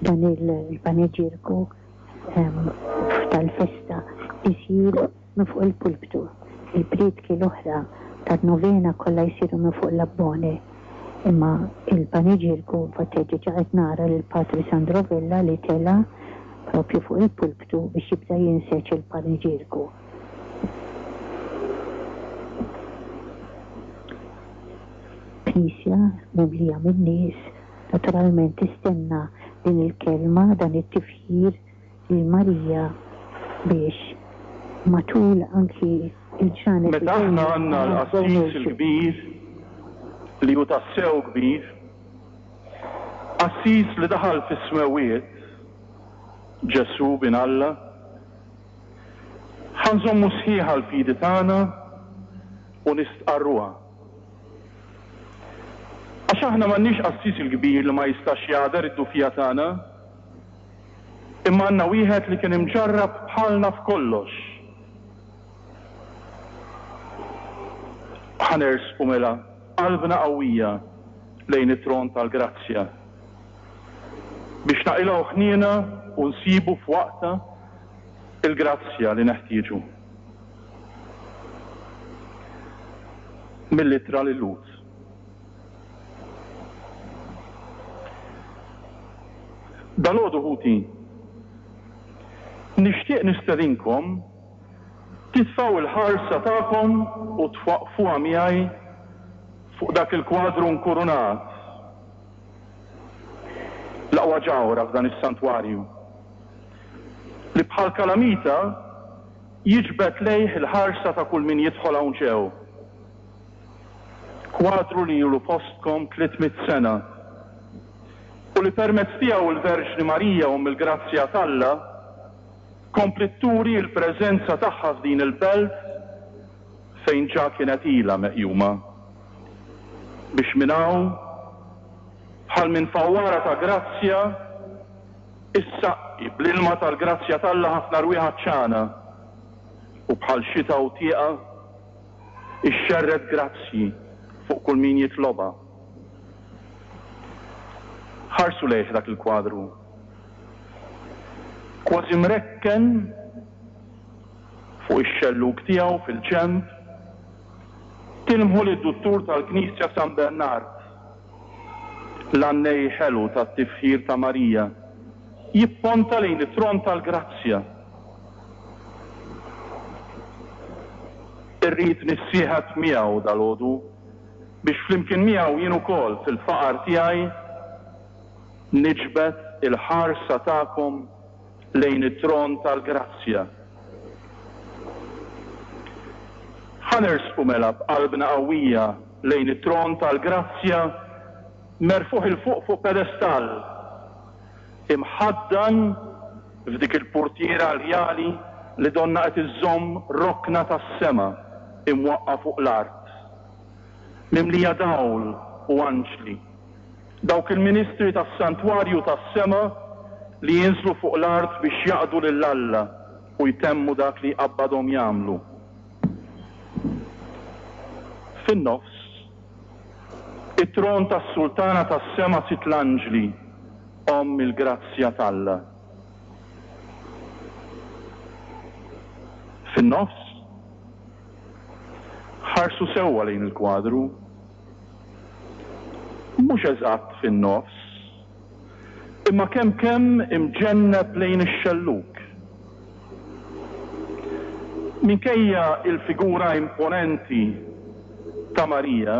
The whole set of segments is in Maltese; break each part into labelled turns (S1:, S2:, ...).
S1: Dan il-paneġirku tal-festa isir minn fuq il-pulptu. Il-prietki l-oħra tan-novena kollha jsiru minn fuq l-abbone. Imma il-paneġirku, infatti diġà qed nara lil Patri Sandro Vella li tela' propju fuq il-pulptu biex jibda jinseġ il-paneġirku. Knisja mimlija min-nies naturalment tistenna din il-kelma, dan it-tifħir lil Marija biex matul anki l-ġranet li
S2: Meta
S1: ġejjin
S2: aħna għandna
S1: ma
S2: l-Qassis
S1: nibżgħux.
S2: il-Kbir li hu tassew kbir, Qassis li daħal fis-smewwiet, Ġesù Bin Alla, ħa nżommu sħiħa l-fidi tagħna u nistqarruha. Għax aħna m'għandniex qassis il-kbir li ma jistax jagħder id-dufija tagħna, imma għandna wieħed li kien imġarrab bħalna f'kollox. Ħa nersqu mela b'qalbna qawwija lejn it-tron tal-grazzja, biex naqilgħu ħniena u nsibu f'waqtha l-grazzja li neħtieġu. Mill-Ittra lil-Lhud. Dalgħodu ħuti, nixtieq nistedinkom titfgħu l-ħarsa tagħkom u twaqqfuha miegħi fuq dak il-kwadru nkurunat, l-aqwa ġawhra f'dan is-santwarju, li bħal kalamita jiġbed lejh il-ħarsa ta' kull min jidħol hawn ġew. Kwadru li ilu fostkom 300 sena u li permezz tiegħu l-Verġni Marija Omm il-Grazzja t'Alla kompliet turi l-preżenza tagħha f'din il-belt fejn ġa kienet ilha meqjuma. Biex minn hawn, bħal minn fawwara ta' grazzja, Issaqqi bl-ilma tal-grazzja t'Alla ħafna rwieħ għatxana, u bħal xita u tieqa ixxerred grazzji fuq kull min jitlobha. Ħarsu lejh dak il-kwadru. Kważi mrekken fuq ix-xellug tiegħu fil-ġenb, tilmħu lid-duttur tal-Knisja San Bernard. L-għannej ħelu tat-tifħir ta' Marija jipponta lejn it-tron tal-grazzja. Irrid nissieħeb miegħu dalgħodu biex flimkien miegħu jien ukoll fil-faqar tiegħi niġbed il-ħarsa tagħkom lejn it-tron tal-grazzja. Ħa nersqu mela b'qalbna qawwija lejn it-tron tal-grazzja merfugħ 'il fuq fuq pedestall, imħaddan f'dik il-purtiera rjali li donnha qed iżżomm rokna tas-sema imwaqqa' fuq l-art, mimlija dawl u anġli. Dawk il-ministri tas-santwarju tas-sema li jinżlu fuq l-art biex jaqdu lil Alla u jtemmu dak li jqabbadhom jagħmlu. Fin-nofs, it-tron tas-Sultana tas-sema Sitt l-Anġli, Omm il-grazzja t'Alla. Fin-nofs, ħarsu sewwa lejn il-kwadru. Mhux eżatt fin-nofs, imma kemm kemm imġenneb lejn ix-xellug. Minkejja l-figura imponenti ta' Marija,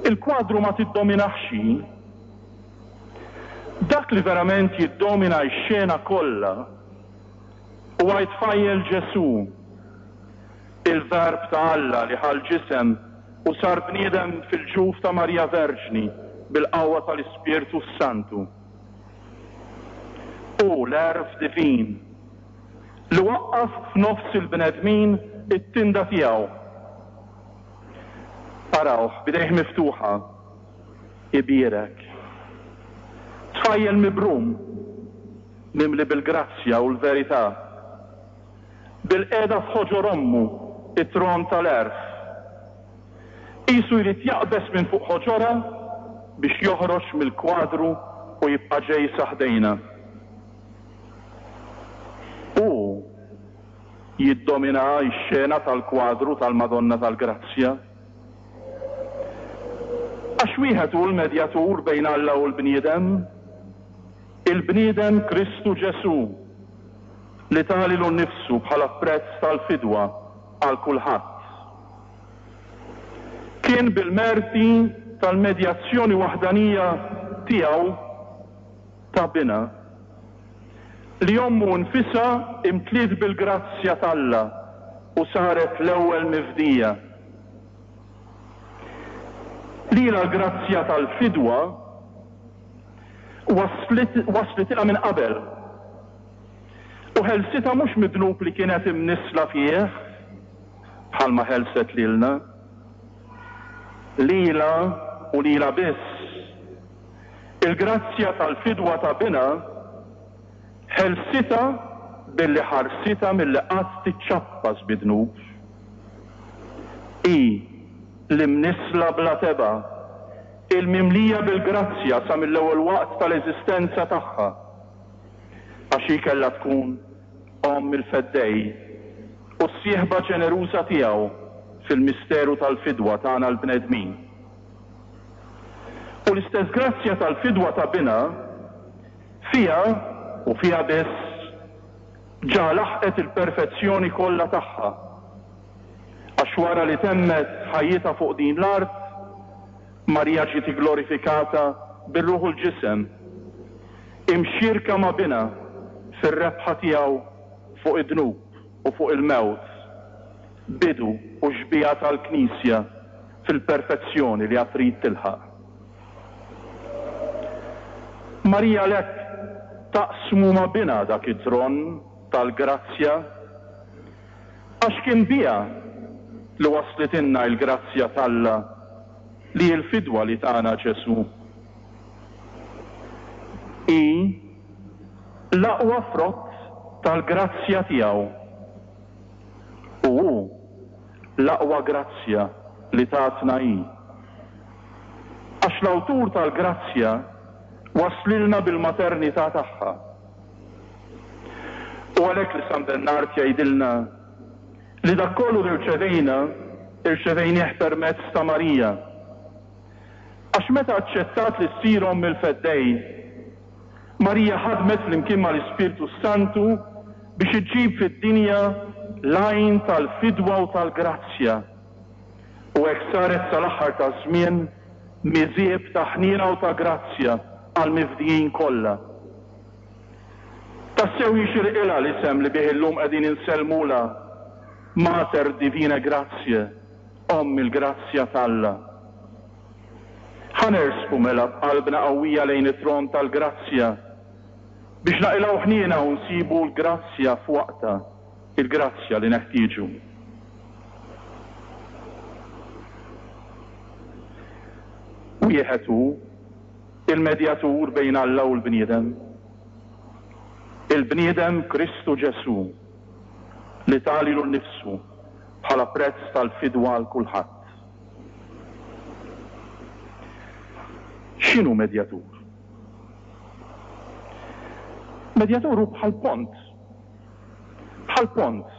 S2: il-kwadru ma tiddominahx hi. Dak li verament jiddomina x-xena kollha huwa t-tfajjel Ġesù. Il-Verb ta' Alla li ħa l-ġisem u sar bniedem fil-ġuf ta' Marija Verġni bil-qawwa tal-Ispirtu s-Santu. Hu l-Għerf divin li waqqaf f'nofs il-bnedmin it-tinda tiegħu. Arawh b'idejh miftuħa ibierek. Tfajjel mibrum, mimli bil-grazzja u l-verità. Bilqiegħda f'ħoġor ommu, it-tron tal-għerf. Qisu jrid jaqbeż minn fuq ħoġorha biex joħroġ mill-kwadru u. u jibqa' ġej sa ħdejna. Hu jiddomina x-xena tal-kwadru tal-Madonna tal-Grazzja. Għax wieħed hu l-medjatur bejn Alla u l-bniedem, il-bniedem Kristu Ġesù, li ta lilu nnifsu bħala prezz tal-fidwa għal kulħadd. Kien bil-merti tal-medjazzjoni waħdanija tiegħu ta' Binha, li ommu nfisha imtliet bil-grazzja t'Alla u saret l-ewwel mifdija. Lilha l-grazzja tal-fidwa waslitilha minn qabel u ħelsitha mhux mid-dnub li kienet imnissla fih, bħalma ħelset lilna. Lilha u lilha biss, il-grazzja tal-fidwa ta' Binha ħelsitha billi ħarsitha milli qatt tiċċappas bid-dnub. Hi, l-imnissla bla tebgħa, il-mimlija bil-grazzja sa mill-ewwel waqt tal-eżistenza tagħha, għax hi kellha tkun Omm il-Feddej u s-sieħba ġeneruża tiegħu fil-misteru tal-fidwa tagħna l-bnedmin. U l-istess grazzja tal-fidwa ta' Binha fiha, u fiha biss, ġa laħqet il-perfezzjoni kollha tagħha, għax wara li temmet ħajjitha fuq din l-art, Marija ġiet igglorifikata bir-ruħ u l-ġisem, imxierka ma' Binha fir-rebħa tiegħu fuq id-dnub u fuq il-mewt, bidu u xbieha tal-Knisja fil-perfezzjoni li għad trid tilħaq. Marija għalhekk taqsmu ma' Binha dak it-tron tal-grazzja, għax kien biha li waslitilna l-grazzja t'Alla li hi l-fidwa li tana Ġesù. Hi l-aqwa frott tal-grazzja tiegħu u hu l-aqwa grazzja li tatna hi. Għax l-awtur tal-grazzja waslilna bil-maternità tagħha. U għalhekk li San Bernard jgħidilna li dak kollu li rċevejna, irċevejnieh permezz ta' Marija. Għax meta aċċettat li ssir Omm il-Feddej, Marija ħadmet flimkien mal-Ispirtu s-Santu biex iġġib fid-dinja l-għajn tal-fidwa u tal-grazzja, u hekk saret sal-aħħar taż-żmien miżieb ta' ħniena u ta' grazzja għall-mifdijin kollha. Tassew jixirqilha l-isem li bih illum qegħdin insellmulha, Mater Divinae Gratiae, Omm il-Grazzja t'Alla. Ħa nersqu mela b'qalbna qawwija lejn it-tron tal-grazzja biex naqilgħu ħniena u nsibu l-grazzja f'waqtha, il-grazzja li neħtieġu. Wieħed hu il-medjatur bejn Alla u l-bniedem, il-bniedem Kristu Ġesù, li ta lilu nnifsu bħala prezz tal-fidwa għal kulħadd. X'inhu medjatur? Medjatur hu bħal pont. Bħal pont,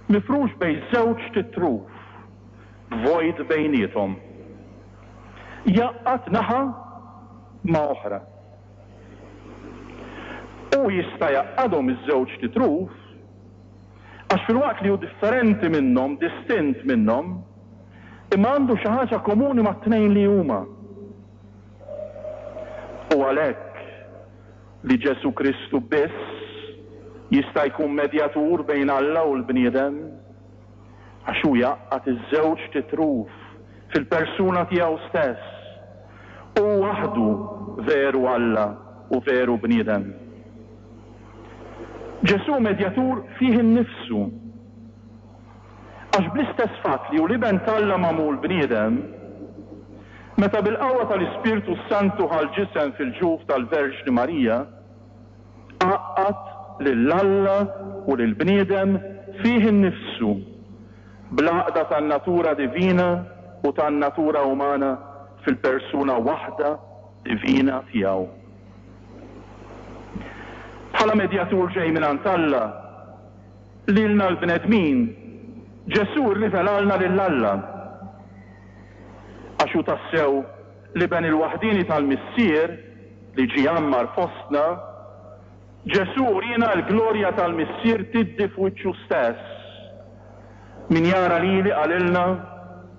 S2: mifrux bejn żewġt itruf, b'vojt bejniethom. Jgħaqqad naħa ma' oħra. Hu jista' jgħaqqadhom iż-żewġt itruf Għax filwaqt li hu differenti minnhom, distint minnhom, imma għandu xi ħaġa komuni mat-tnejn li huma. U għalhekk li Ġesù Kristu biss jista' jkun medjatur bejn Alla u l-bniedem, għax hu jgħaqqad iż-żewġt itruf fil-persuna tiegħu stess. Hu waħdu veru Alla u veru bniedem. Ġesù medjatur fih innifsu. Għax bl-istess fatt li hu l-Iben t'Alla magħmul bniedem, meta bil-qawwa tal-Ispirtu s-Santu ħa l-ġisem fil-ġuf tal-Verġni Marija, għaqqad lil Alla u lill-bniedem fih innifsu bl-għaqda tan-natura divina u tan-natura umana fil-persuna waħda divina tiegħu. Bħala medjatur ġej mingħand Alla, lilna l-bnedmin, Ġesù rrivelalna lil Alla. Għax hu tassew l-Iben il-waħdieni tal-Missier li ġie jgħammar fostna, Ġesù uriena l-glorja tal-Missier tiddi f'wiċċu stess. Min jara lili, qalilna,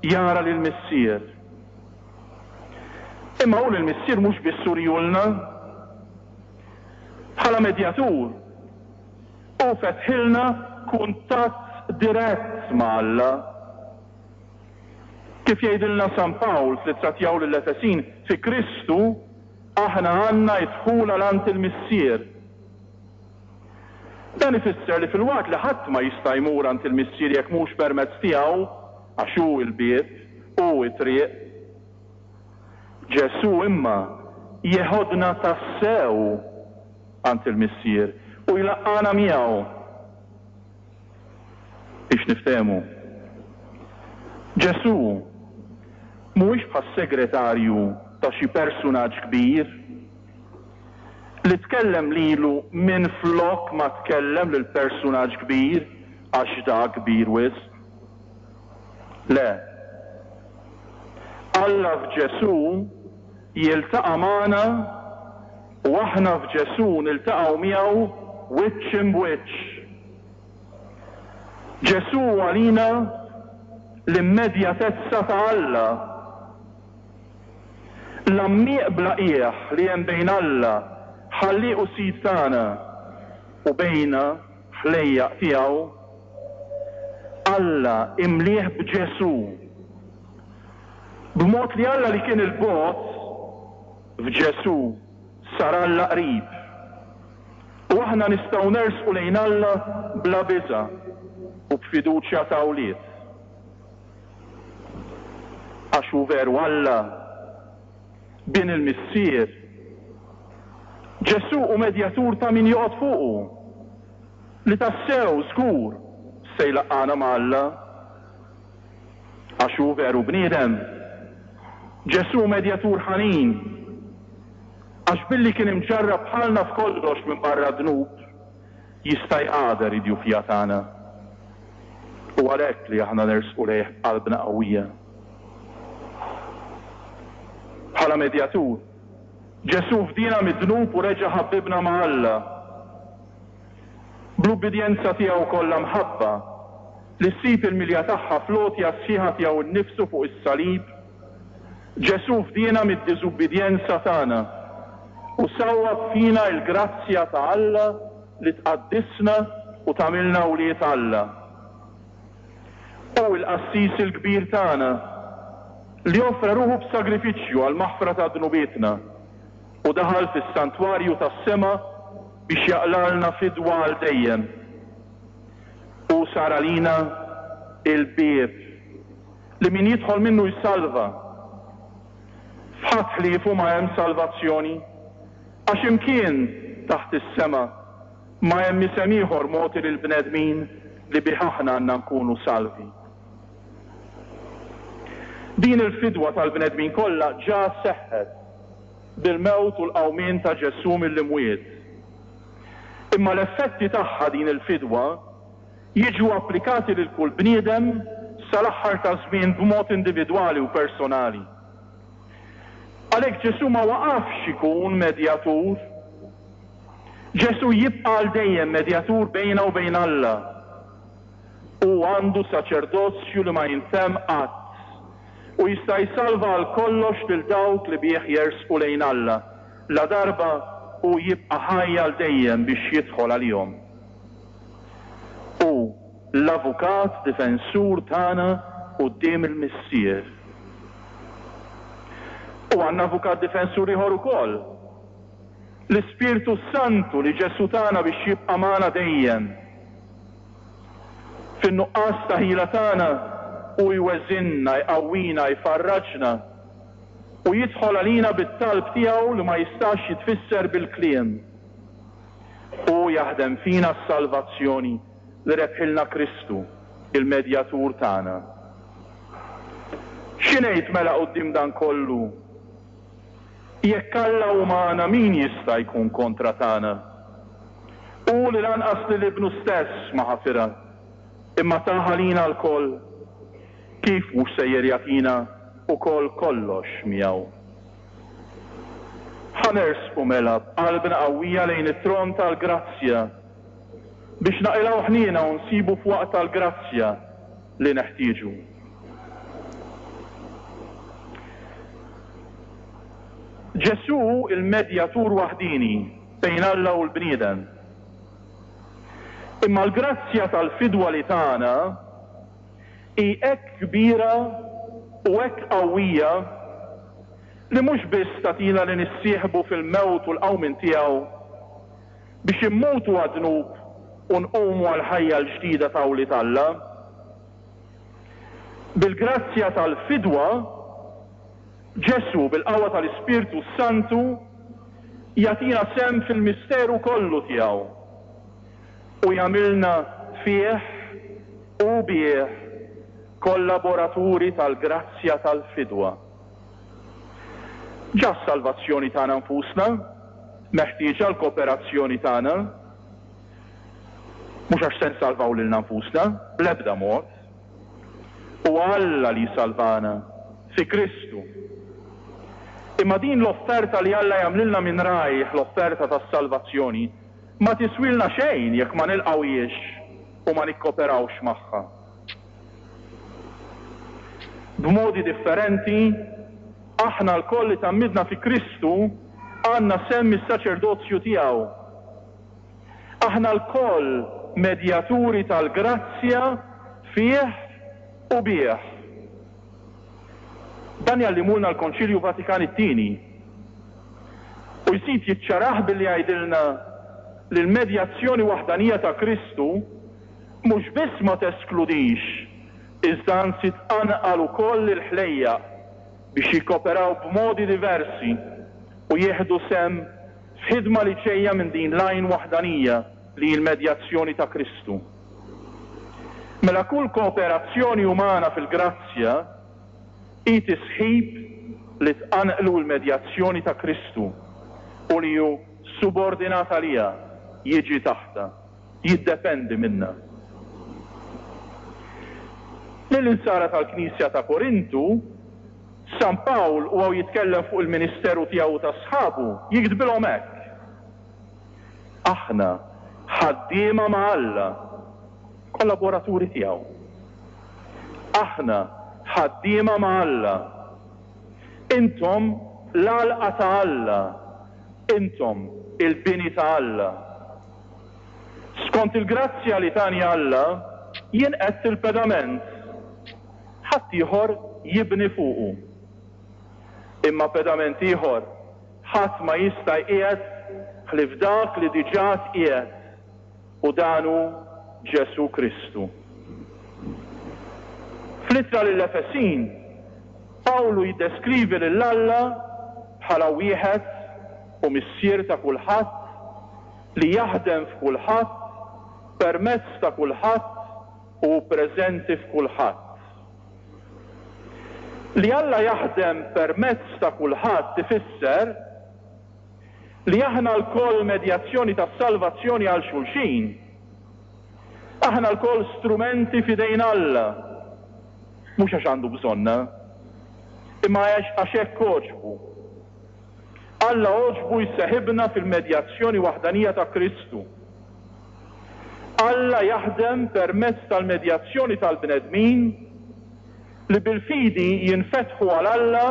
S2: jara lill-Missier. Imma hu lill-Missier mhux biss urihulna. Bħala medjatur, hu fetħilna kuntatt dirett ma' Alla. Kif jgħidilna San Pawl fl-ittra tiegħu lill-Efesin, fi Kristu aħna għandna d-dħul għal għand il-Missier. Dan ifisser li filwaqt li ħadd ma jista' jmur għand il-Missier jekk mhux permezz tiegħu, għax hu l-bieb, hu t-triq, Ġesù imma jeħodna tassew għand il-Missier u jlaqqagħna miegħu. Biex niftehmu, Ġesù mhuwiex bħas-segretarju ta' xi persunaġġ kbir li tkellem lilu minflok ma tkellem lill-persunaġġ kbir għax dak kbir wisq. Le. Alla f'Ġesù jiltaqa' magħna u aħna f'Ġesù niltaqgħu miegħu wiċċ imb'wiċċ. Ġesù hu għalina l-immedjatezza ta' Alla. L-għammieq bla qiegħ li hemm bejn Alla, Ħallieq u Sid tagħna, u bejna, ħlejjaq tiegħu, Alla imlieh b'Ġesù. B'mod li Alla li kien 'il bogħod, f'Ġesù sar Alla qrib. U aħna nistgħu nersqu lejn Alla bla biża' u b'fiduċja ta' wlied. Għax hu veru Alla, Bin il-Missier. Ġesù hu medjatur ta' min joqgħod fuqu, li tassew żgur se jlaqqagħna ma' Alla. Għax hu veru bniedem. Ġesù hu medjatur ħanin, għax billi kien imġarrab bħalna f'kollox minbarra d-dnub, jista' jqader id-djufija tagħna. Hu għalhekk li aħna nersqu lejh b'qalbna qawwija. Bħala medjatur, Ġesù fdiena mid-dnub u reġa' ħabbibna ma' Alla. Bl-ubbidjenza tiegħu kollha mħabba, li ssib il-milja tagħha fl-għotja sħiħa tiegħu nnifsu fuq is-salib, Ġesù fdiena mid-diżubbidjenza tagħna u sawwab fina l-grazzja ta' Alla li tqaddisna u tagħmilna wlied Alla. Hu l-Qassis il-Kbir tagħna, li offra ruħu b'sagrifiċċju għall-maħfra ta' dnubietna u daħal fis-santwarju tas-sema biex jaqlgħalna fidwa għal dejjem. Hu sar għalina l-bieb li min jidħol minnu jsalva. F'ħadd ħliefu ma hemm salvazzjoni, għax imkien taħt is-sema ma hemm isem ieħor mogħti lill-bnedmin li bih aħna għandna nkunu salvi. Din il-fidwa tal-bnedmin kollha ġa seħħet bil-mewt u l-qawmien ta' Ġesù mill-imwiet. Imma l-effetti tagħha din il-fidwa jiġu applikati lil kull bniedem sal-aħħar taż-żmien b'mod individwali u personali. Għalhekk Ġesù ma waqafx ikun medjatur. Ġesù jibqa' għal dejjem medjatur bejna u bejn Alla. Hu għandu saċerdozju li ma jintemm qatt u jista' jsalva għal kollox lil dawk li bih jersqu lejn Alla, ladarba hu jibqa' ħaj għal dejjem biex jidħol għalihom. Hu l-avukat difensur tagħna quddiem il-Missier. U għandna avukat difensur ieħor ukoll, l-Ispirtu s-Santu li Ġesù tana biex jibqa' magħna dejjem. Fin-nuqqas ta' ħila tagħna, hu jweżinna, jqawwina, jfarraġna, u jidħol għalina bit-talb tiegħu li ma jistax jitfisser bil-kliem. Hu jaħdem fina s-salvazzjoni li rebħilna Kristu, il-Medjatur tagħna. Xi ngħid mela quddiem dan kollu? Jekk Alla hu magħna min jista' jkun kontra tagħna? Hu li lanqas lil Ibnu stess ma ħafirha, imma taha lina lkoll, kif mhux sejjer jagħtina wkoll kollox miegħu? Ħa nersqu mela b'qalbna qawwija lejn it-tron tal-grazzja, biex naqilgħu ħniena u nsibu f'waqtha l-grazzja li neħtieġu. Ġesù hu l-medjatur waħdieni bejn Alla u l-bniedem. Imma l-grazzja tal-fidwa li tana hi hekk kbira u hekk qawwija li mhux biss tagħtina li nissieħbu fil-mewt u l-qawmien tiegħu, biex immutu għad-dnub u nqumu għall-ħajja l-ġdida ta' wlied Alla. Bil-grazzja tal-fidwa, Ġesù, bil-qawwa tal-Ispirtu s-Santu, jagħtina sehem fil-misteru kollu tiegħu u jagħmilna fih u bih kollaboraturi tal-grazzja tal-fidwa. Ġa s-salvazzjoni tagħna nfusna meħtieġa l-kooperazzjoni tagħna. Mhux għax se nsalvaw lilna nfusna, bl-ebda mod. Huwa Alla li jsalvana, fi Kristu. Imma din l-offerta li Alla jagħmlilna minn rajh, l-offerta tas-salvazzjoni, ma tiswilna xejn jekk ma nilqgħuhiex u ma nikkoperawx magħha. B'modi differenti, aħna lkoll li tgħammidna fi Kristu għandna sehem mis-saċerdozju tiegħu. Aħna lkoll medjaturi tal-grazzja fih u bih. Dan jgħallimulna l-Konċilju Vatikan it-Tieni. U jżid jiċċarah billi jgħidilna li l-medjazzjoni waħdanija ta' Kristu mhux biss ma teskludix, iżda anzi tqanqal ukoll lill-ħlejjaq biex jikkoperaw b'modi diversi u jieħdu sehem f'ħidma li ġejja minn din l-għajn waħdanija li hi l-medjazzjoni ta' Kristu. Mela kull kooperazzjoni umana fil-grazzja hi tisħib li tqanqlu l-medjazzjoni ta' Kristu u li hu subordinat għaliha, jiġi taħtha. Jiddependi minnha. Lill-insara tal-Knisja ta' Korintu, San Pawl huwa u jitkellem fuq il-ministeru tiegħu u ta' sħabu, jiktbilhom hekk, Aħna ħaddiema ma' Alla, kollaboraturi tiegħu. Aħna ħaddiema ma' Alla. Intom l-għalqa ta' Alla, intom il-bini ta' Alla. Skont il-grazzja li tani Alla, jien qegħedt il-pedament, ħaddieħor jibni fuqu. Imma pedament ieħor ħadd ma jista' jqiegħed ħlief dak li diġà tqiegħed, u dan hu Ġesù Kristu. Fl-Ittra lill-Efesin, Pawlu jiddeskrivi lil Alla bħala wieħed u Missier ta' kulħadd, li jaħdem f'kulħadd, permezz ta' kulħadd u hu preżenti f'kulħadd. Li Alla jaħdem permezz ta' kulħadd ifisser li aħna lkoll medjazzjoni tas-salvazzjoni għal xulxin. Aħna lkoll strumenti f'idejn Alla, mhux għax għandu bżonna, imma għax hekk għoġbu. Alla għoġbu jseħibna fil-medjazzjoni waħdanija ta' Kristu. Alla jaħdem permezz tal-medjazzjoni tal-bnedmin li bil-fidi jinfetħu għal Alla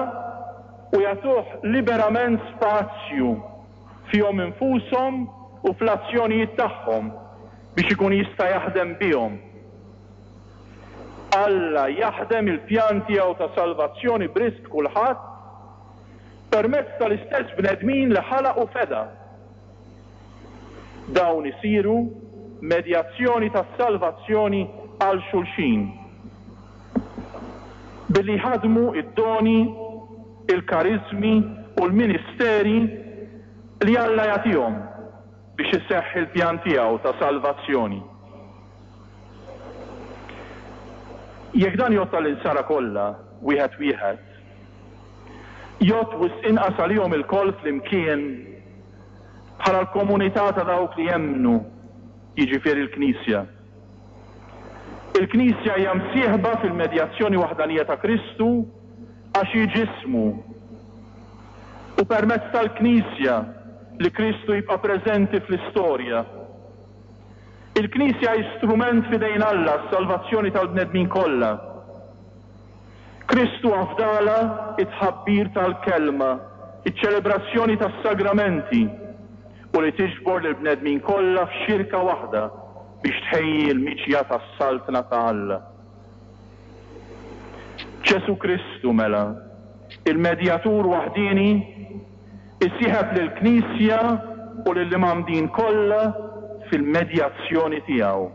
S2: u jagħtuh liberament spazju fihom infushom u fl-azzjonijiet tagħhom biex ikun jista' jaħdem bihom. Alla jaħdem il-pjan tiegħu ta' salvazzjoni b'risq kulħadd permezz tal-istess bnedmin li ħalaq u feda. Dawn isiru medjazzjoni tas-salvazzjoni għal xulxin, billi jħaddmu d-doni, il-kariżmi u l-ministeri li Alla jagħtihom biex iseħħ il-pjan tiegħu ta' salvazzjoni. Jekk dan jgħodd għall-insara kollha, wieħed wieħed, Jgħodd wisq inqas għalihom ilkoll flimkien bħala l-komunità ta' dawk li jemmnu. jiġifieri l-Knisja. Il-Knisja hija msieħba fil-medjazzjoni waħdanija ta' Kristu għax hi ġismu. Hu permezz tal-Knisja li Kristu jibqa' preżenti fl-istorja. Il-Knisja hi strument f'idejn Alla għas-salvazzjoni tal-bnedmin kollha. Kristu afdalha t-tħabbir tal-Kelma, iċ-ċelebrazzjoni tas-sagramenti, u li tiġbor lill-bnedmin kollha f'xirka waħda biex tħejji l-miġja tas-Saltna ta' Alla. Ġesù Kristu, mela, il-Medjatur waħdieni, isieħeb lill-Knisja u lill-imgħammdin kollha fil-medjazzjoni tiegħu.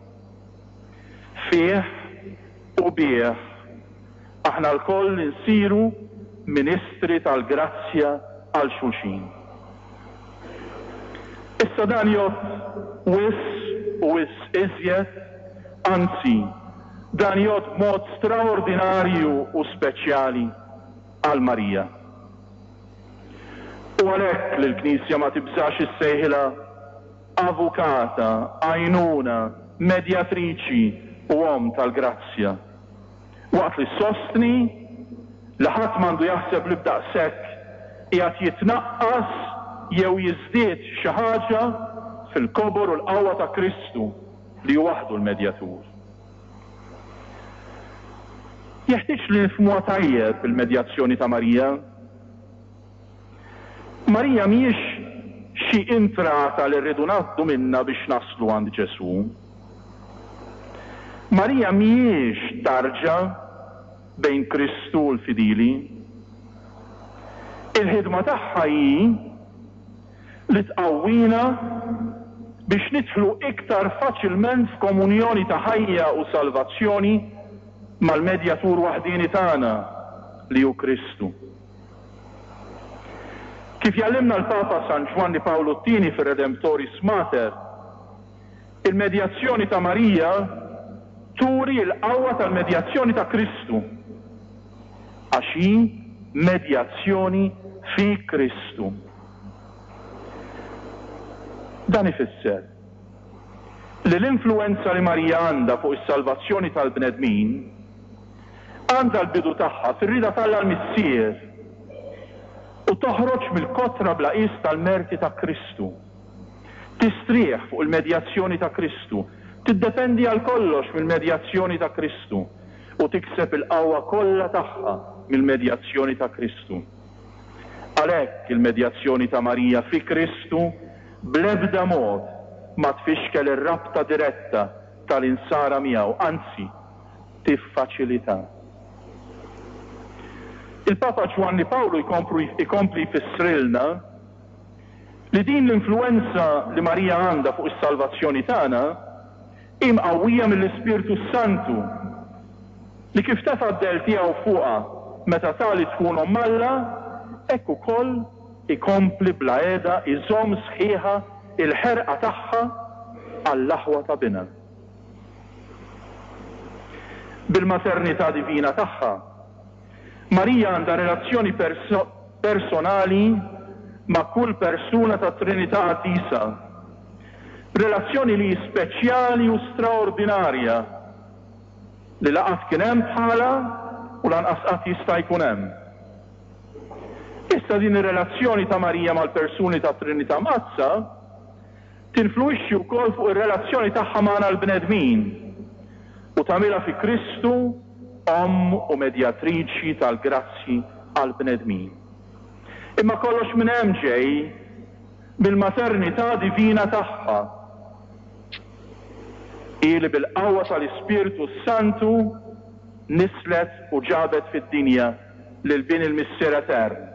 S2: Fih u bih, aħna lkoll insiru ministri tal-grazzja għal xulxin. Issa dan jgħodd wisq u wisq iżjed, anzi, dan jgħodd b'mod straordinarju u speċjali għal Marija. U għalhekk li l-Knisja ma tibżax issejħilha avukata, għajnuna, medjatriċi u omm tal-grazzja. Waqt li ssostni li ħadd m'għandu jaħseb li b'daqshekk qiegħed jitnaqqas jew jiżdied xi ħaġa fil-kobor u l-qawwa ta' Kristu li hu waħdu l-Medjatur. Jeħtieġ li nifhmuha tajjeb il-medjazzjoni ta' Marija. Marija mhijiex xi intrata li rridu ngħaddu minnha biex naslu għand Ġesù. Marija mhijiex tarġa bejn Kristu u l-fidili. Il-ħidma tagħha hi li tqawwina biex nidħlu iktar faċilment f'komunjoni ta' ħajja u salvazzjoni mal-Medjatur waħdieni tagħna, li hu Kristu. Kif jgħallimna l-Papa San Ġwanni Pawlu t-Tieni fir-Redemptoris Mater, il-medjazzjoni ta' Marija turi l-qawwa tal-medjazzjoni ta' Kristu, għax hi medjazzjoni fi Kristu. Dan ifisser li l-influwenza li Marija għandha fuq is-salvazzjoni tal-bnedmin għandha l-bidu tagħha fir-rieda t'Alla l-Missier u toħroġ mill-kotra bla qies tal-merti ta' Kristu. Tistrieħ fuq il-medjazzjoni ta' Kristu, tiddependi għal kollox mill-medjazzjoni ta' Kristu u tikseb il-qawwa kollha tagħha mill-medjazzjoni ta' Kristu. Għalhekk il-medjazzjoni ta' Marija fi Kristu bl-ebda mod ma tfixkel ir-rabta diretta tal-insara miegħu, anzi, tiffaċilità. Il-Papa Ġwanni Pawlu jkompli jfissrilna li din l-influwenza li Marija għandha fuq is-salvazzjoni tagħna hi mqawwija mill-Ispirtu s-Santu li kif tefa' d-dell tiegħu fuqha meta ta li tkun Omm Alla, hekk ukoll ikompli bla heda jżomm sħiħa l-ħerqa tagħha għall-aħwa ta' Binha. Bil-maternità divina tagħha, Marija għandha relazzjoni personali ma' kull persuna tat-Trinità Qaddisa, relazzjoni li hi speċjali u straordinarja, li la qatt kien hemm bħalha u lanqas qatt jista' jkun hemm. Issa din ir-relazzjoni ta' Marija mal-persuni tat-Trinità Mqaddsa tinfluwixxi wkoll fuq ir-relazzjoni tagħha magħna l-bnedmin u tagħmilha fi Kristu Omm u Medjatriċi tal-grazzji għall-bnedmin. Imma kollox minn hemm ġej, mill-maternità divina tagħha. Hi li bil-qawwa tal-Ispirtu s-Santu nisslet u ġabet fid-dinja lil Bin il-Missier Etern.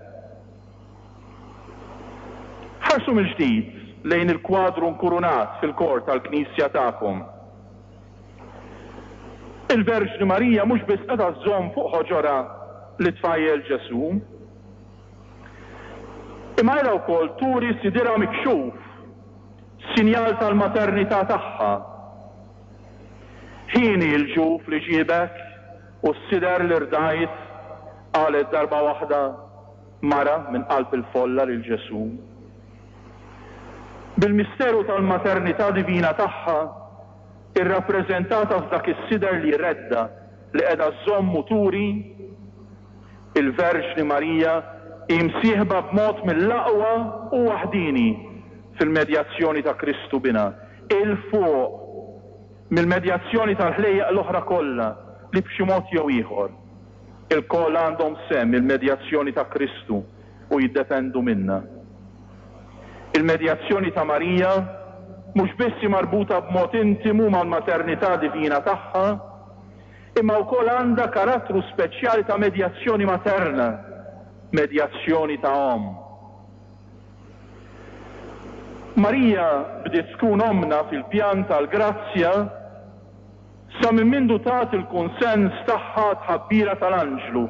S2: Ħarsu mill-ġdid lejn il-kwadru nkurunat fil-kor tal-knisja tagħkom. Il-Verġni Marija mhux biss qiegħda żżomm fuq ħoġorha lit-tfajjel Ġesù, imma qiegħda wkoll turi sidirha mikxuf, sinjal tal-maternità tagħha. Hieni l-ġuf li ġiebek u s-sider li rdajt, qalet darba waħda mara minn qalb il-folla lil Ġesù. Bil-misteru tal-maternità divina tagħha, irrappreżentata f'dak is-sider li jredda' li qiegħda żżomm u turi, il-Verġni Marija hi msieħba b'mod mill-aqwa u waħdieni fil-medjazzjoni ta' Kristu Binha, 'il fuq mill-medjazzjoni tal-ħlejjaq l-oħra kollha li b'xi mod jew ieħor, ilkoll għandhom sehem il-medjazzjoni ta' Kristu u jiddependu minnha. Il-medjazzjoni ta' Marija mhux biss hi marbuta b'mod intimu mal-maternità divina tagħha, imma wkoll għandha karattru speċjali ta' medjazzjoni materna, medjazzjoni ta' omm. Marija bdiet tkun ommna fil-pjan tal-grazzja sa minn mindu tat il-kunsens tagħha għat-tħabbira tal-anġlu,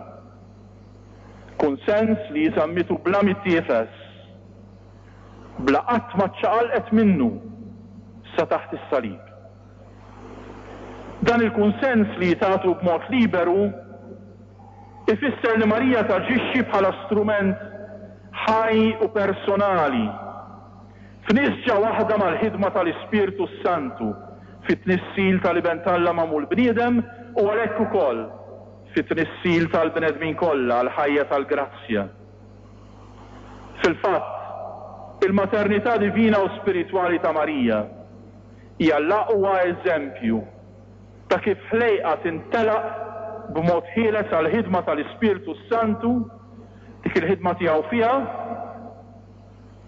S2: kunsens li hi żammitu bla mittiefes, bla qatt ma ċċaqalqet minnu sa taħt is-salib. Dan il-kunsens li hi tatu b'mod liberu Ifisser li Marija taġixxi bħala strument ħaj u personali, f'nisġa waħda mal-ħidma tal-Ispirtu s-Santu fit-tnissil tal-Iben t'Alla magħmul bniedem u għalhekk ukoll fit-tnissil tal-bnedmin kollha għall-ħajja tal-grazzja. Fil-fatt, il-maternità divina u spiritwali ta' Marija hija l-aqwa eżempju ta' kif ħlejqa tintelaq b'mod ħieles għall-ħidma tal-Ispirtu s-Santu, dik il-ħidma tiegħu fiha,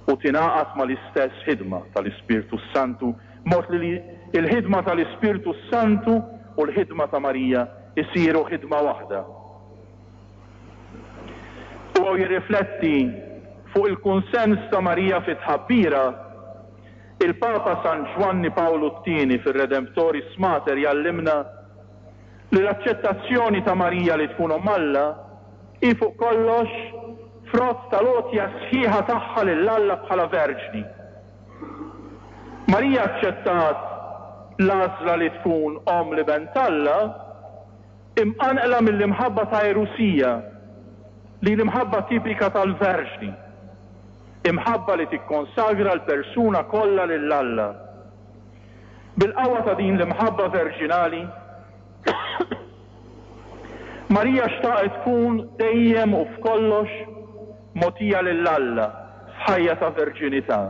S2: u tingħaqad mal-istess ħidma tal-Ispirtu s-Santu, b'mod li l-ħidma tal-Ispirtu s-Santu u l-ħidma ta' Marija jsiru ħidma waħda. Huwa u jirrifletti fuq il-kunsens ta' Marija fit-tħabbira, Il-Papa San Ġwanni Pawlu t-Tieni fir-Redemptoris Mater jgħallimna li l-aċċettazzjoni ta' Marija li tkun Omm Alla hi fuq kollox frott tal-għotja sħiħa tagħha lil Alla bħala verġni. Marija aċċettat l-għażla li tkun Omm l-Iben t'Alla imqanqla mill-imħabba ta' għerusija, li hi l-imħabba tipika tal-verġni, imħabba li tikkonsagra l-persuna kollha lil Alla. Bil-qawwa ta' din l-imħabba verġinali, Marija xtaqet tkun dejjem u f'kollox mogħtija lil Alla f'ħajja ta' verġinità.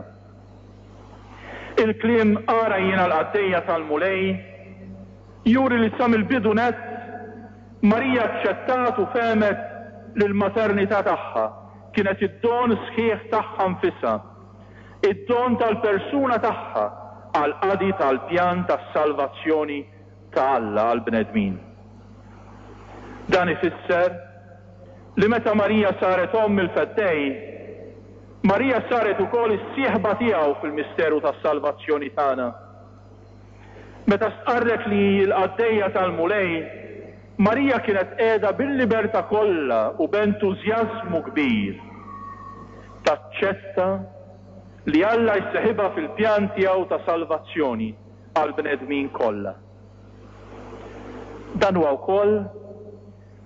S2: Il-kliem Ara jiena l-qaddejja tal-Mulej juri li sa mill-bidu nett Marija aċċettat u fehmet li l-maternità tagħha kienet id-don sħiħ tagħha nfisha, id-don tal-persuna tagħha għall-qadi tal-pjan tas-salvazzjoni ta' Alla għall-bnedmin. Dan ifisser li meta Marija saret omm il-Feddej, Marija saret ukoll is-sieħba tiegħu fil-misteru tas-salvazzjoni tagħna. Meta stqarret li hi l-qaddejja tal-Mulej, Marija kienet qiegħda bil-libertà kollha u b'entużjażmu kbir taċċetta li Alla jseħibha fil-pjan tiegħu ta' salvazzjoni għall-bnedmin kollha. Dan huwa wkoll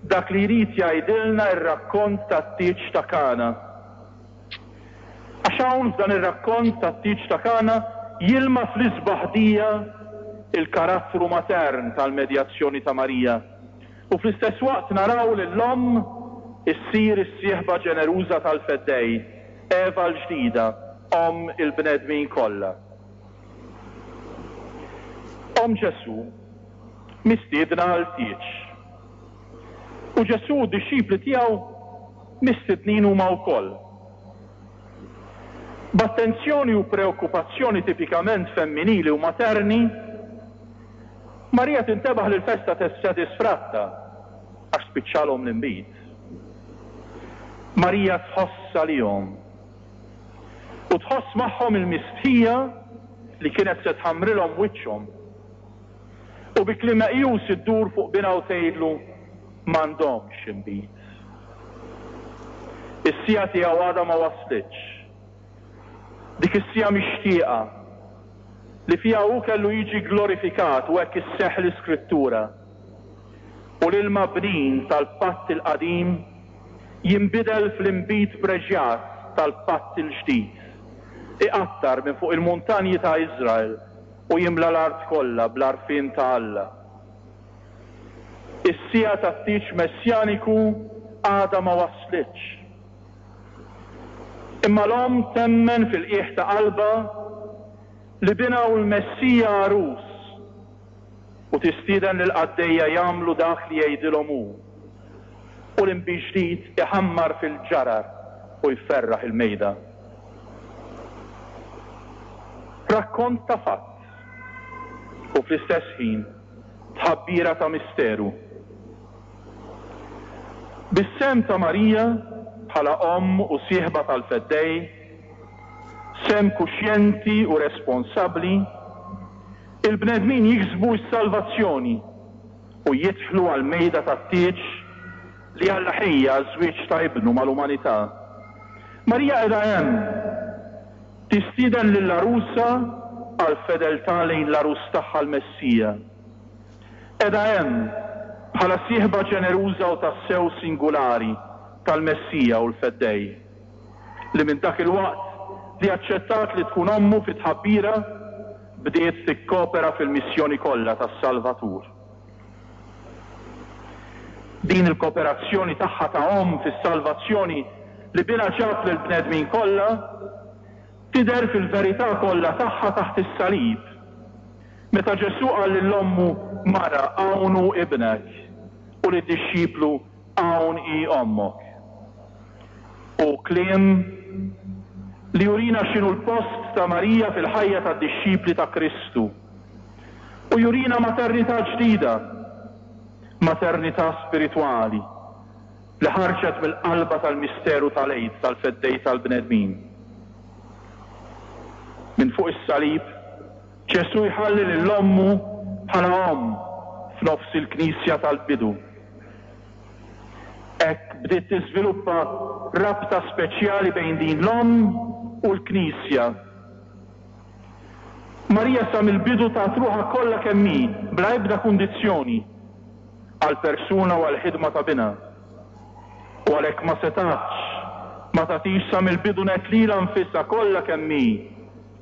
S2: dak li jrid jgħidilna r-rakkont tat-tieġ ta' Kana. Għax hawn f'dan ir-rakkont tat-tieġ ta' Kana jilma fl-isbaħ dija l-karattru matern tal-medjazzjoni ta' Marija u fl-istess waqt naraw lill-omm issir is-sieħba ġeneruża tal-Feddej, Eva l-ġdida, omm il-bnedmin kollha. Omm Ġesù mistiedna għal tieġ. U Ġesù u d-dixxipli tiegħu mistednin huma wkoll. B'attenzjoni u preokkupazzjoni tipikament femminili u materni, Marija tintebaħ li l-festa se tisfratta għax spiċċalhom l-inbid. Marija tħoss għalihom. U tħoss magħhom il-mistħija li kienet se tħammrilhom wiċċhom. U bi kliem meqjus iddur fuq binha u tgħidlu, M'għandhomx inbid. Is-siegħa tiegħu għadha ma waslitx. Dik is-siegħa mixtieqa, li fiha hu kellu jiġi glorifikat u hekk isseħħ l-Iskrittura. U l-ilma bnin tal-Patt il-Qadim jinbidel fl-inbid preġjat tal-Patt il-Ġdid. Iqattar minn fuq il-muntanji ta' Iżrael u jimla l-art kollha bl-għarfien ta' Alla. Is-siegħa tat-tieġ messjaniku għadha ma waslitx. Imma l-omm temmen fil-qiegħ ta' qalbha li binha hu l-Messija għarus u tistieden lill-qaddejja jagħmlu dak li jgħidilhom hu. U l-inbid ġdid iħammar fil-ġarar u jferraħ il-mejda. Rakkont ta' fatt u fl-istess ħin tħabbira ta' misteru. Bis-sehem ta' Marija bħala omm u sieħba tal-Feddej, sehem kuxjenti u responsabbli, il-bnedmin jiksbu s-salvazzjoni u jidħlu għall-mejda tat-tieġ li Alla ħejja għaż-żwieġ ta' Ibnu mal-umanità. Marija qiegħda hemm, tistieden lill-għarusa għall-fedeltà lejn l-għarus tagħha l-Messija. Qiegħda hemm, bħala sieħba ġeneruża u tassew singulari tal-Messija u l-Feddej, li minn dak il-waqt li aċċettat li tkun ommu fit-tħabbira, bdiet tikkopera fil-missjoni kollha tas-Salvatur. Din il-koperazzjoni tagħha ta' omm fis-salvazzjoni li binha ġab lill-bnedmin kollha, tidher fil-verità kollha tagħha taħt is-salib, meta Ġesù qal lil ommu, Mara, hawn hu ibnek, u lid-dixxiplu, Hawn hi ommok. Hu kliem li jurina x'inhu l-post ta' Marija fil-ħajja tad-dixxipli ta' Kristu u jurina maternità ġdida, maternità spiritwali li ħarġet mill-qalba tal-misteru tal-Għid tal-Feddej tal-bnedmin. Minn fuq is-salib, Ġesù jħalli lil ommu bħala omm f'nofs il-Knisja tal-bidu. Hekk bdiet tiżviluppa rabta speċjali bejn din l-omm u l-Knisja. Marija sa mill-bidu tat ruħha kollha kemm hi, bla ebda kundizzjoni, għall-persuna u għall-ħidma ta' Binha. U għalhekk ma setgħetx ma tagħtix sa mill-bidu nett lilha nfisha kollha kemm hi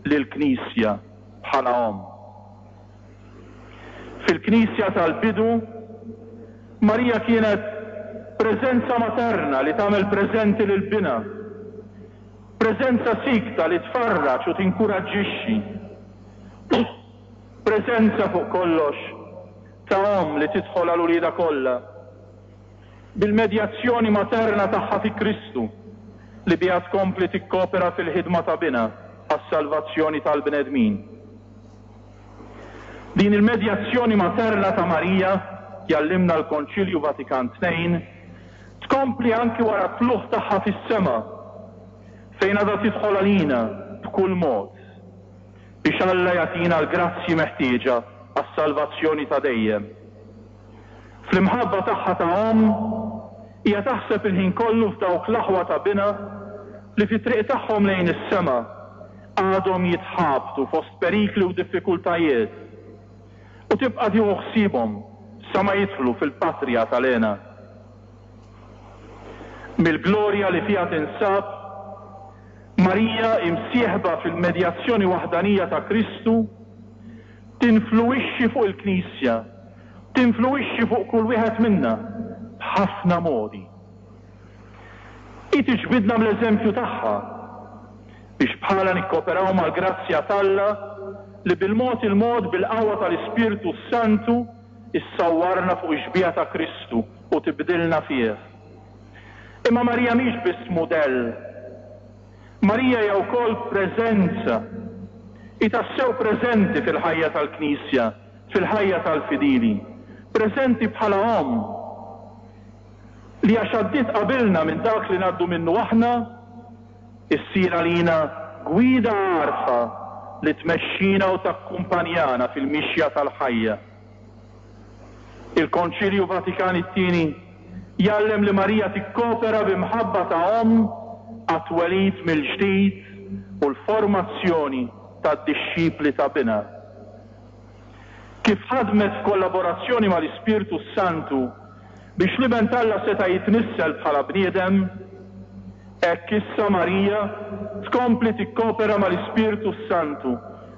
S2: lill-Knisja bħala omm. Fil-Knisja tal-bidu, Marija kienet preżenza materna li tagħmel preżenti lil binha, preżenza siekta li tfarraġ u tinkuraġġixxi, preżenza fuq kollox ta' omm li tidħol għal uliedha kollha. Bil-medjazzjoni materna tagħha fi Kristu, li biha tkompli tikkopera fil-ħidma ta' Binha għas-salvazzjoni tal-bnedmin. Din il-medjazzjoni materna ta' Marija, jgħallimna l-Konċilju Vatikan ii, tkompli anki wara t-tlugħ tagħha fis-sema, fejn għadha tidħol għalina b'kull mod, biex Alla jagħtina l-grazzji meħtieġa għas-salvazzjoni ta' dejjem. Fl-imħabba tagħha ta' omm, hija taħseb il-ħin kollu f'dawk l-aħwa ta' binha li fit-triq tagħhom lejn is-sema għadhom jitħabtu fost perikli u diffikultajiet, u tibqa' tieħu ħsiebhom sa ma jidħlu fil-patrija tal-hena. Mill-glorja li fiha tinsab, Marija hi msieħba fil-medjazzjoni waħdanija ta' Kristu, tinfluwixxi fuq il-Knisja, tinfluwixxi fuq kull wieħed minna b'ħafna modi. Hi tiġbidna bl-eżempju tagħha biex bħalha nikkoperaw mal-grazzja t'Alla li bil-mod il-mod bil-qawwa tal-Ispirtu s-Santu issawwarna fuq ix-xbieha ta' Kristu u tibdilna fih. Imma Marija mhix biss mudell. Marija hija wkoll preżenza. Hi tassew preżenti fil-ħajja tal-Knisja, fil-ħajja tal-fidili. Preżenti bħala omm, li għax għaddiet qabilna minn dak li ngħaddu minnu aħna, issir għalina gwida għarfa li tmexxina u takkumpanjana fil-mixja tal-ħajja. Il-Konċilju Vatikan it-Tieni jgħallem li Marija tikkopera bi mħabba ta' omm għat-twelid mill-ġdid u l-formazzjoni tad-dixxipli ta' Binha. Kif ħadmet f'kollaborazzjoni mal-Ispirtu s-Santu biex l-Iben t'Alla seta' jitnissel bħala bniedem, Hekk issa Marija tkompli tikkopera mal-Ispirtu s-Santu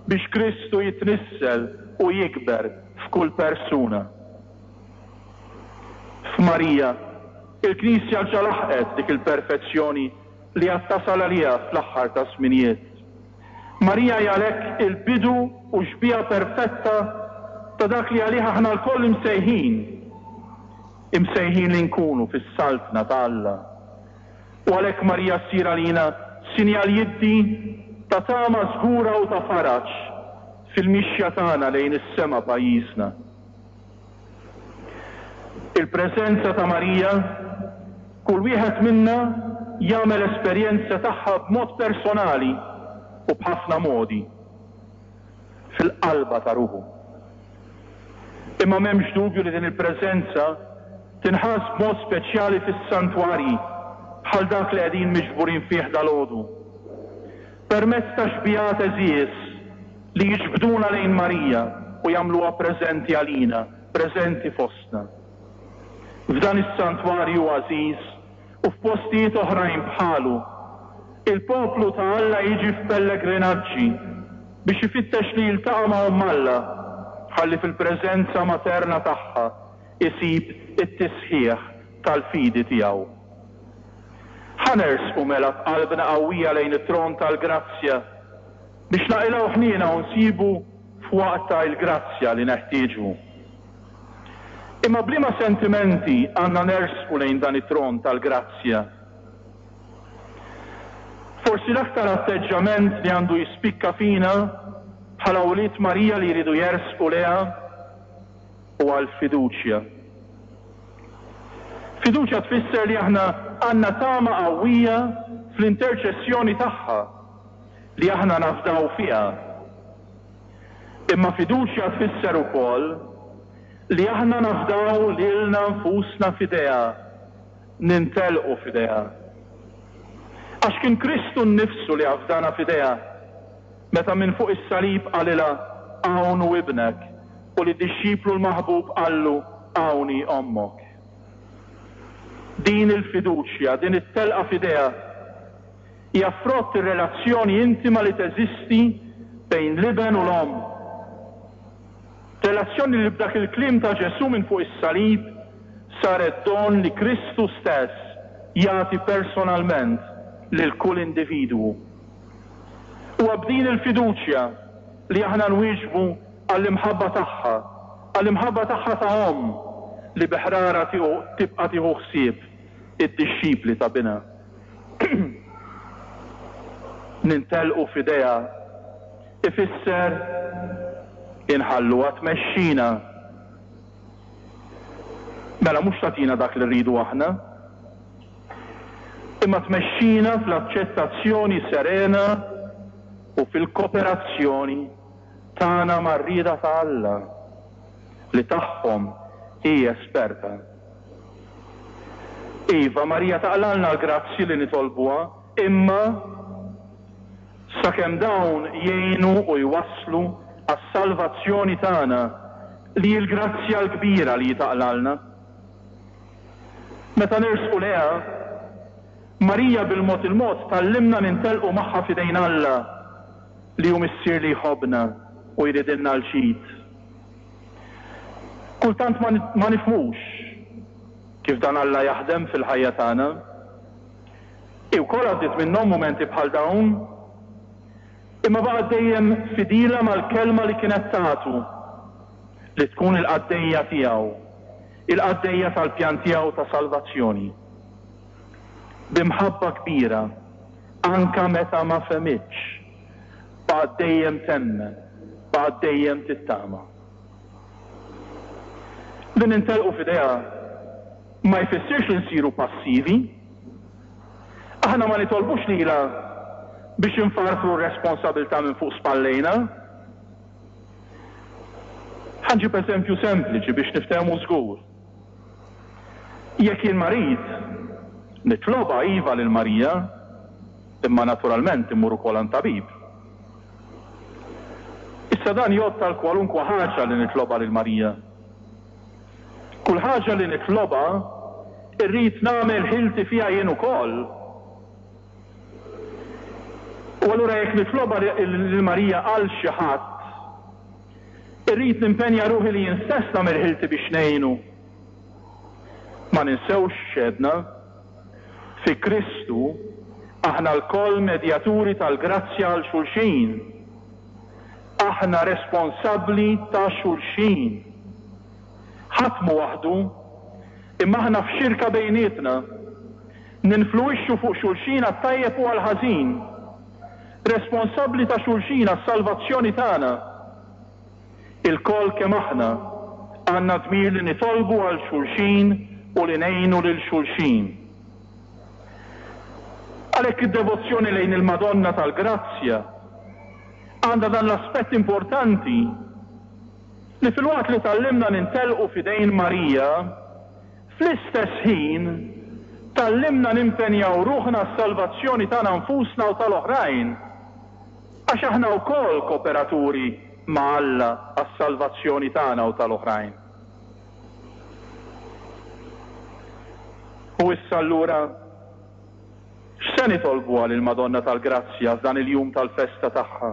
S2: biex Kristu jitnissel u jikber f'kull persuna. F'Marija, il-Knisja ġa laħqet dik il-perfezzjoni li għad tasal għaliha fl-aħħar taż-żminijiet. Marija hi għalhekk il-bidu u x-xbieha perfetta ta' dak li għalih aħna lkoll imsejħin, imsejħin li nkunu fis-Saltna ta' Alla. U għalhekk Marija ssir għalina sinjal jiddi ta' tama żgura u ta' faraġ fil-mixja tagħna lejn is-sema pajjiżna. Il-preżenza ta' Marija, kull wieħed minna jagħmel esperjenza tagħha b'mod personali u b'ħafna modi, fil-qalba ta' ruħu. Imma m'hemmx dubju li din il-preżenza tinħass b'mod speċjali fis-santwarji bħal dak li qegħdin miġburin fih dalgħodu. Permezz ta' xbigħat għeżież li jiġbduna lejn Marija u jagħmluha preżenti għalina, preżenti fostna. F'dan is-santwarju għażiż u f'postijiet oħrajn bħalu, il-poplu ta' Alla jiġi f'pellegrinaġġi biex ifittex li jiltaqa' ma' Omm Alla ħalli fil-preżenza materna tagħha jsib it-tisħiħ tal-fidi tiegħu. Ħa nersqu mela b'qalbna qawwija lejn it-tron tal-grazzja biex naqilgħu ħniena u nsibu f'waqtha il-grazzja li neħtieġu. Imma b'liema sentimenti għandna nersqu lejn dan it-tron tal-grazzja? Forsi l-aktar atteġġjament li għandu jispikka fina bħala wlied Marija li jridu jersqu lejha huwa l-fiduċja. Fiduċja tfisser li aħna għandna tama qawwija fl-interċessjoni tagħha, li aħna nafdaw fiha. Imma fiduċja tfisser ukoll li aħna nafdaw lilna nfusna f'idejha, nintelqu f'idejha. Għax kien Kristu nnifsu li afdana f'idejha meta minn fuq is-salib qalilha, Hawn hu ibnek, u lid-dixxiplu l-maħbub qallu, Hawn hi ommok. Din il-fiduċja, din it-telqa f'idejha, hija frott ir-relazzjoni intima li teżisti bejn l-iben u l-omm. Relazzjoni li b'dak il-kliem ta' Ġesù minn fuq is-salib saret don li Kristu stess jagħti personalment lil kull individwu. Huwa b'din il-fiduċja li aħna nwieġbu għall-imħabba tagħha, għall-imħabba tagħha ta' omm li bi ħrara tibqa' tieħu ħsieb id-dixxipli ta' binha. Nintelqu f'idejha ifisser inħalluha tmexxina. Mela mhux tagħtina dak li rridu aħna, imma tmexxina fl-aċċettazzjoni serena u fil-koperazzjoni tagħna mar-rieda ta' Alla, li tagħhom hi esperta. Iva, Marija taqlgħalna l-grazzji li nitolbuha, imma sakemm dawn jgħinu u jwasslu għas-salvazzjoni tagħna, li hi l-grazzja l-kbira li hi taqlgħalna. Meta nersqu lejha, Marija bil-mod il-mod tgħallimna nintelqu magħha f'idejn Alla, li hu Missier li jħobbna u jridilna l-ġid. Kultant ma ma nifhmux kif dan Alla jaħdem fil-ħajja tagħna. Hi wkoll għaddiet minnhom mumenti bħal dawn, imma baqgħet dejjem fidila mal-kelma li kienet tagħtu, li tkun il-qaddejja tiegħu, il-qaddejja tal-pjan tiegħu ta' salvazzjoni. Bi mħabba kbira, anke meta ma fehmitx, baqgħet dejjem temmen, baqgħet dejjem tittama. Li nintelqu f'idejha ma jfissirx li nsiru passivi. Aħna ma nitolbux lilha biex infarfru r-responsabilità minn fuq spallejna. Ħa nġib eżempju sempliċi biex niftehmu żgur. Jekk jien marid, nitlobha iva lil Marija, imma naturalment immur ukoll għand tabib. Issa dan jgħodd għal kwalunkwe ħaġa li nitlobha lil Marija. Kull ħaġa li nitlobha, irrid nagħmel ħilti fiha jien ukoll. U allura jekk nitlobha lil Marija għal xi ħadd, irrid nimpenja ruħi li jien stess nagħmel ħilti biex ngħinu. Ma ninsewx x'għedna, fi Kristu aħna lkoll medjaturi tal-grazzja għal xulxin. Aħna responsabbli ta' xulxin. Ħadd mhu waħdu, imma aħna f'xirka bejnietna. Ninfluwixxu fuq xulxin għat-tajjeb u għall-ħażin. Responsabbli ta' xulxin għas-salvazzjoni tagħna. Ilkoll kemm aħna għandna dmir li nitolbu għal xulxin u li ngħinu lil xulxin. Għalhekk id-devozzjoni lejn il-Madonna tal-Grazzja għandha dan l-aspett importanti li filwaqt li tgħallimna nintelqu f'idejn Marija, fl-istess ħin tgħallimna nimpenjaw ruħna għas-salvazzjoni tagħna nfusna u tal-oħrajn, għax aħna wkoll koperaturi ma' Alla għas-salvazzjoni tagħna u tal-oħrajn. U issa allura, x'se nitolbuha lill-Madonna tal-Grazzja f'dan il-jum tal-festa tagħha?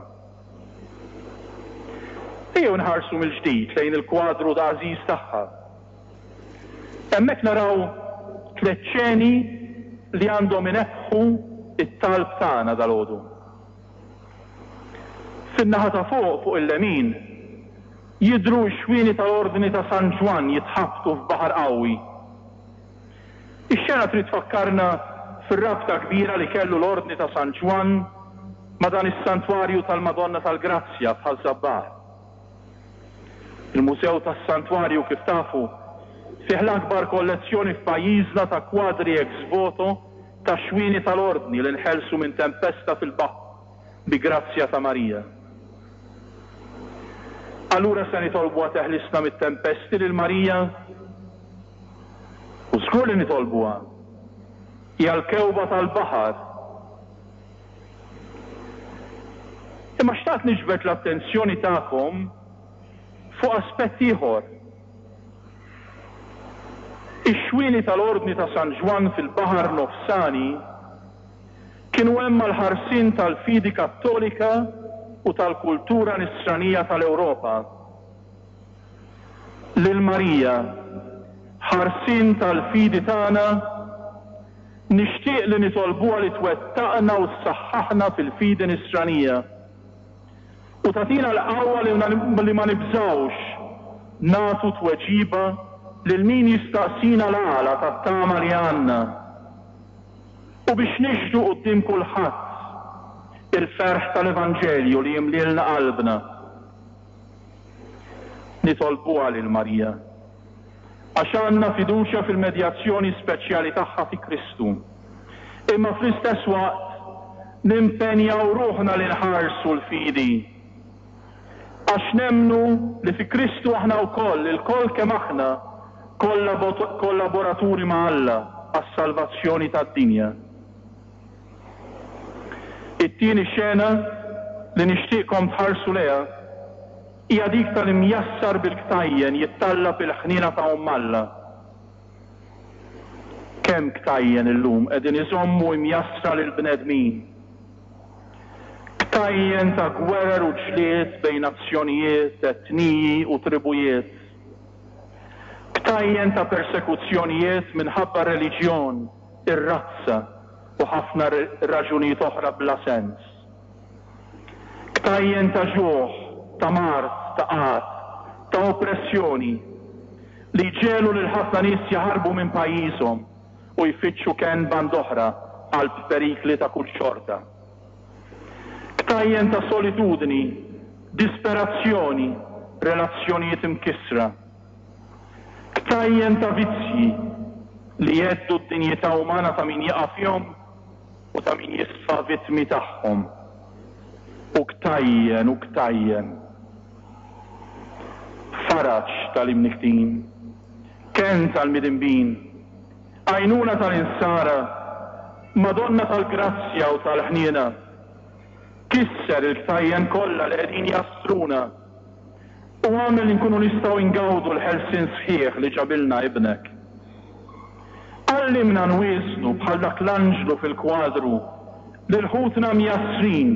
S2: Ejjew inħarsu mill-ġdid lejn il-kwadru għażiż tagħha. Hemmhekk naraw tlett xeni li għandhom inebbħu t-talb tagħna dalgħodu. Fin-naħa ta' fuq, fuq il-lemin, jidhru x-xwieni tal-Ordni ta' San Ġwann jitħabtu f'baħar qawwi. Ix-xena trid tfakkarna fir-rabta kbira li kellu l-Ordni ta' San Ġwann ma' dan is-Santwarju tal-Madonna tal-Grazzja f'Ħaż-Żabbar. Il-Mużew tas-Santwarju, kif tafu, fih l-akbar kollezzjoni f'pajjiżna ta' kwadri ex voto ta' xwieni tal-Ordni li nħelsu minn tempesta fil-baħar bi grazzja ta' Marija. Allura se nitolbuha teħlisna mit-tempesti lil Marija? U żgur li nitolbuha. Hija l-kewba tal-baħar. Imma xtaqt niġbed l-attenzjoni tagħkom fuq aspett ieħor. Ix-xwieni tal-Ordni ta' San Ġwann fil-Baħar Nofsani kienu hemm għall-ħarsien tal-fidi Kattolika u tal-kultura Nisranija tal-Ewropa. Lil Marija, ħarsien tal-fidi tagħna, nixtieq li nitolbuha li twettaqna u ssaħħaħna fil-fidi Nisranija u tagħtina l-qawwa li ma nibżgħux nagħtu tweġiba lil min jistaqsina l-għala tat-tama li għandna u biex nixhdu quddiem kulħadd il-ferħ tal-Evanġelju li jimlielna qalbna. Nitolbuha lil Marija, għax għandna fiduċja fil-medjazzjoni speċjali tagħha fi Kristu, imma fl-istess waqt nimpenjaw ruħna li nħarsu l-fidi, għax nemmnu li fi Kristu aħna wkoll, ilkoll kemm aħna, kollaboraturi ma' Alla għas-salvazzjoni tad-dinja. It-tieni xena li nixtieqkom tħarsu lejha hija dik tal-imjassar bil-ktajjen jittallab il-ħniena ta' Omm Alla. Kemm ktajjen illum qegħdin iżommu imjassra lill-bnedmin! Ktajjen ta' gwerer u ġlied bejn nazzjonijiet, etniji u tribujiet. Ktajjen ta' persekuzzjonijiet minħabba r-reliġjon, ir-razza u ħafna raġunijiet oħra bla sens. Ktajjen ta' ġuħ, ta' mard, ta' qgħad, ta' oppressjoni, li jġegħlu lil ħafna nies jaħarbu minn pajjiżhom u jfittxu kenn band'oħra qalb perikli ta' kull xorta. Ktajjen ta' solitudni, disperazzjoni, relazzjonijiet imkissra. Ktajjen ta' vizzji li jheddu d-dinjità umana ta' min jaqa' fihom u ta' min jisfa vittmi tagħhom. U ktajjen u ktajjen. Faraġ tal-imnikktin. Kenn tal-midinbin. Għajnuna tal-insara. Madonna tal-grazzja u tal-ħniena. Kisser il-ktajjen kollha li qegħdin jastruna. U agħmel li nkunu nistgħu ngawdu l-ħelsien sħiħ li ġabilna Ibnek. Għallimna nwieżnu bħal dak l-anġlu fil-kwadru. lil ħutna mjassrin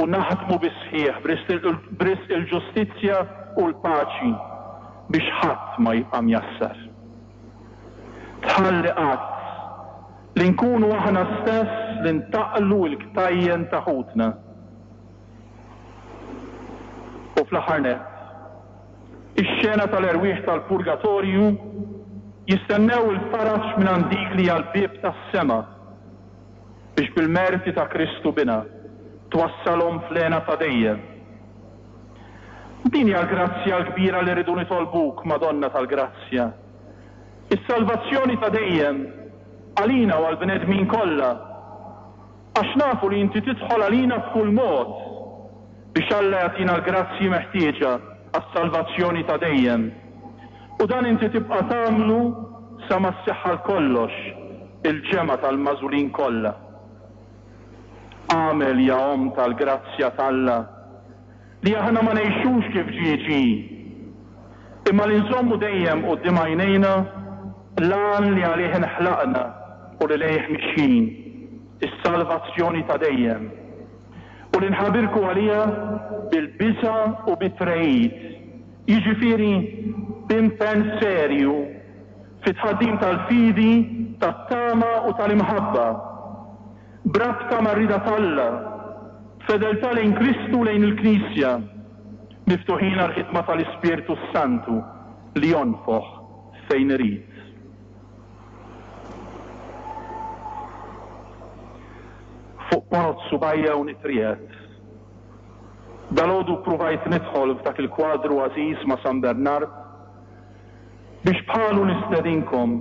S2: u naħdmu bis-sħiħ b'risq il-ġustizzja u l-paċi biex ħadd ma jibqa' mjassar. Tħalli qatt li nkunu aħna stess li ntaqqlu l-ktajjen ta' ħutna. U fl-aħħar nett, ix-xena tal-erwieħ tal-purgatorju jistennew il-faraġ mingħand dik li hija l-bieb tas-sema biex bil-merti ta' Kristu Binha twassalhom fl-hena ta' dejjem. Din hija l-grazzja l-kbira li rridu nitolbuk, Madonna tal-Grazzja, is-salvazzjoni ta' dejjem għalina u għall-bnedmin kollha. Għax nafu li inti tidħol għalina b'kull mod biex Alla jagħtina l-grazzji meħtieġa għas-salvazzjoni ta' dejjem. U dan inti tibqa' tagħmlu sa ma sseħħ għal kollox il-ġemgħa tal-magħżulin kollha. Agħmel, ja Omm tal-grazzja t'Alla, li aħna ma ngħixux kif ġie ġie, imma li nżommu dejjem quddiem għajnejna l-għan li għalih inħlaqna u li lejh mixjin, is-salvazzjoni ta' dejjem, u li nħabirku għaliha bil-biża' u bit-tregħid, jiġifieri b'impenn serju fit-tħaddim tal-fidi, tat-tama u tal-imħabba, b'rabta mar-rieda t'Alla, b'fedeltà lejn Kristu u lejn il-Knisja, miftuħin għall-ħidma tal-Ispirtu s-Santu li jonfoħ fejn irid. Fuq ponot subgħajja u nitriegħed. Dalgħodu ppruvajt nidħol f'dak il-kwadru għażiż ma' San Bernard biex bħalu nistedinkom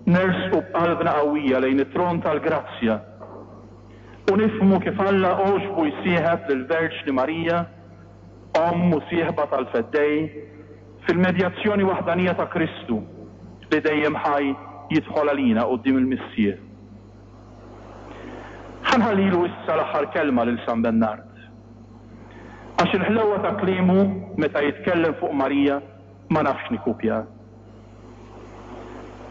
S2: nersqu b'qalbna qawwija lejn it-tron tal-grazzja u nifhmu kif Alla għoġbu jsieħeb lill-Verġni Marija, Omm u sieħba tal-Feddej, fil-medjazzjoni waħdanija ta' Kristu li dejjem ħaj jidħol għalina quddiem il-Missier. Ħa nħallilu issa l-aħħar kelma lil San Bennard. Għax il-ħlewwa ta' kliemu meta jitkellem fuq Marija ma nafx nikkupja.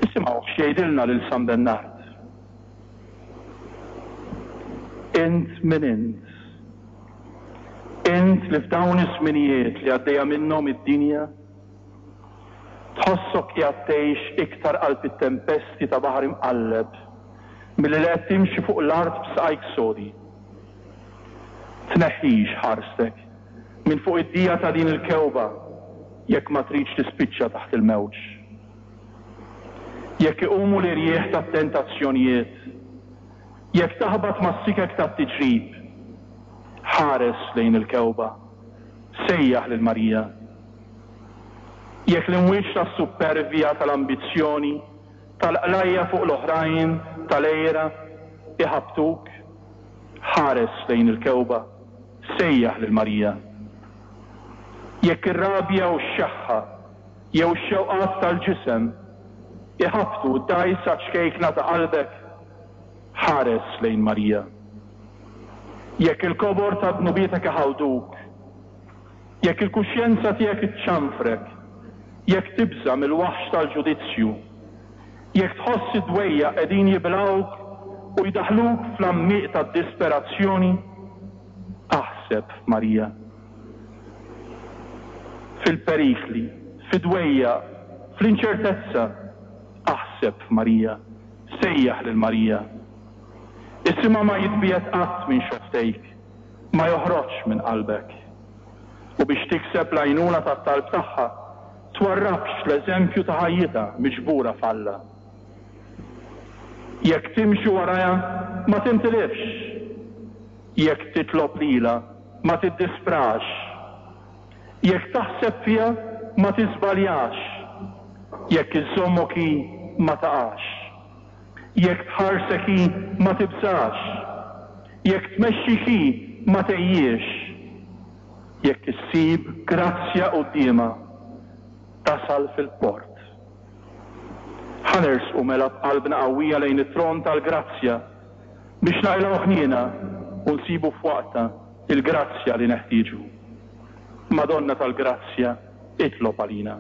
S2: Isimgħuh x'jgħidilna lil San Bennard. Int min int? Int li f'dawn iż-żminijiet li għaddejja minnhom id-dinja, tħossok qiegħed tgħix iktar qalb it-tempesti ta' baħar imqalleb milli li qed timxi fuq l-art b'saqajk sodi. Tneħħix ħarstek minn fuq id-dija ta' din il-kewba jekk ma tridx tispiċċa taħt il-mewġ. Jekk iqumu l-irjieħ tat-tentazzjonijiet, jekk taħbat mas-sikek tat-tiġrib, ħares lejn il-kewba, sejjaħ lil Marija. Jekk l-imwieġ tas-suppervja, tal-ambizzjoni, tal-qlajja fuq l-oħrajn, tal-għira, iħabbtuk, ħares lejn il-kewba, sejjaħ lil Marija. Jekk ir-rabja u x-xeħħa jew ix-xewqat tal-ġisem iħabbtu d-dgħajsa ċkejkna ta' qalbek, ħares lejn Marija. Jekk il-kobor ta' dnubietek iħawduk, jekk il-kuxjenza tiegħek iċċanfrek, jekk tibża' mill-waħx tal-ġudizzju, jekk tħoss id-dwejjaq qegħdin jibilgħuk u jdaħħluk fl-għammieq tad-disperazzjoni, aħseb f'Marija. Fil-perikli, fid-dwejjaq, fl-inċertezza, aħseb f'Marija, sejjaħ lil Marija. Isimha ma jitbiegħed qatt minn xofftejk, ma joħroġx minn qalbek. U biex tikseb l-għajnuna tat-talb tagħha, twarrabx l-eżempju ta' ħajjitha miġbura f'Alla. Jekk timxi warajha, ma tintilifx. Jekk titlob lilha, ma tiddisprax. Jekk taħseb fiha, ma tiżbaljax. Jekk iżżommok hi, ma taqax. Jekk tħarsek hi, ma tibżax. Jekk tmexxik hi, ma tgħejjiex. Jekk issib grazzja quddiemha, tasal fil-port. Ħa nersqu mela b'qalbna qawwija lejn it-tron tal-grazzja biex naqilgħu ħniena u nsibu f'waqtha l-grazzja li neħtieġu. Madonna tal-Grazzja, itlob għalina.